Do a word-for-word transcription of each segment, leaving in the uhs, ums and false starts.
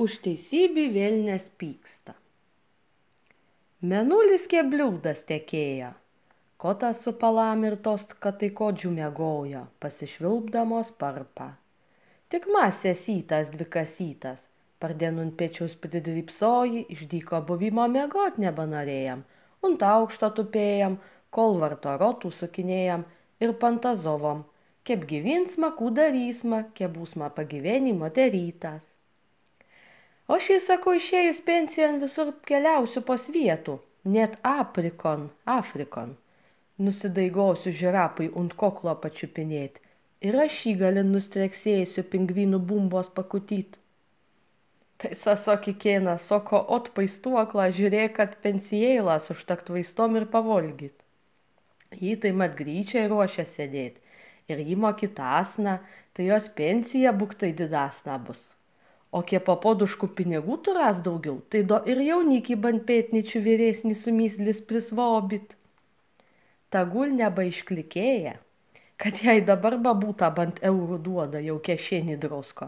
Už teisybį velnias pyksta. Mėnulis kebliūdas tekėjo, kotas su palamirtos kataikočių miegojo, pasišvilpdamos parpą. Tik masėsytas dvikasytas, pardienun pečius pridrypsoji, išdyko buvimo miegot nebenorėjam, unt aukšto tupėjam, kol varto rotų sukinėjam ir pantazovom, kep gyvyn smakų darysma, kep būsma pagyvenimo derytas. O šį sakau, išėjus pensijon visur keliausiu po svietų, net aprikon, Afrikon. Nusidaigosiu žirapui unt koklo pačiupinėt ir aš jį gali nustreksėsiu pingvinų bumbos pakutyt. Tai sasoki kėna, soko ot paistuoklą, žiūrėk, kad pensijėlas užtakt vaistom ir pavolgyt. Jį tai mat gryčiai ruošia sėdėt ir jį mokytasna, tai jos pensija buktai didasna bus. O kie papoduškų pinigų turas daugiau, tai do ir jaunikį bant pėtničių vyresnį sumyslis prisvobit. Tagul nebaišklikėja, kad jai dabar babūta bant eurų duoda jau kešėnį drosko.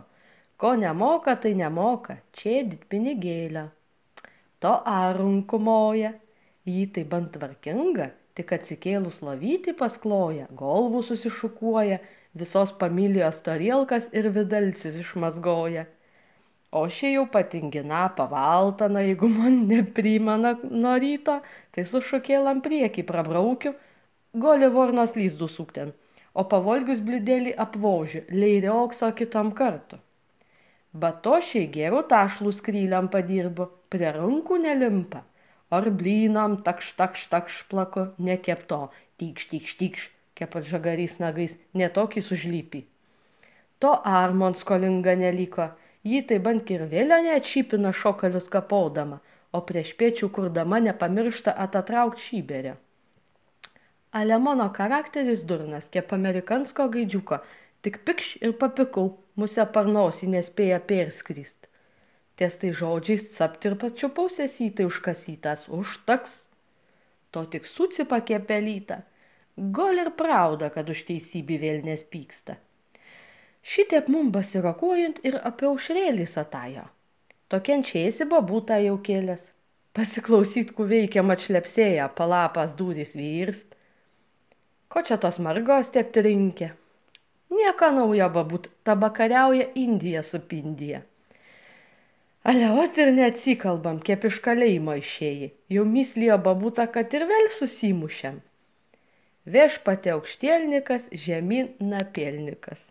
Ko nemoka, tai nemoka, čėdit pinigėlę. To arunku moja, jį tai bant tvarkinga, tik atsikėlus lovyti paskloja, golvų susišukuoja, visos familijos torielkas ir vidalcis išmazgoja. O šie jau patingina pavaltana, jeigu man neprimena nuo ryto, tai su šukėlam priekį prabraukiu, goli vornos lyzdų sukten, o pavolgius blidėlį apvožiu, leiriokso kitom kartu. Batošiai gerų tašlų skryliam padirbu, prie rankų nelimpa, ar blynam takš takš takš plaku, nekepto, tykš tykš tykš, kepat žagarys nagais, netokį sužlypį. To armon skolinga neliko, jį tai bant kirvėlio neatšypina šokalius kapaudama, o prieš pėčių kurdama nepamiršta atatraukt šyberę. Ale mano charakteris durnas, kep amerikansko gaidžiuko, tik pikš ir papikau, musę parnosį nespėja perskrist. Ties tai žodžiais capt ir pačiupau sesytai užkasytas, užtaks. To tik sucipa kepelyta, gol ir prauda, kad už teisybį velnias pyksta. Šitiep mum basirokuojant ir apie aušrėlį satajo. Tokiančiaisi babūta jau kėlės. Pasiklausyt, ku veikia atšlepsėja, palapas dūris vyrst. Ko čia tos margos tepti rinkė? Nieko naujo babūt, tabakariauja Indija su Pindija. Ale ot ir neatsikalbam, kep iš kalėjimo išėjai. Jau mislijo babūta, kad ir vėl susimušiam. Viešpate aukštielnikas, žemyn napelnikas.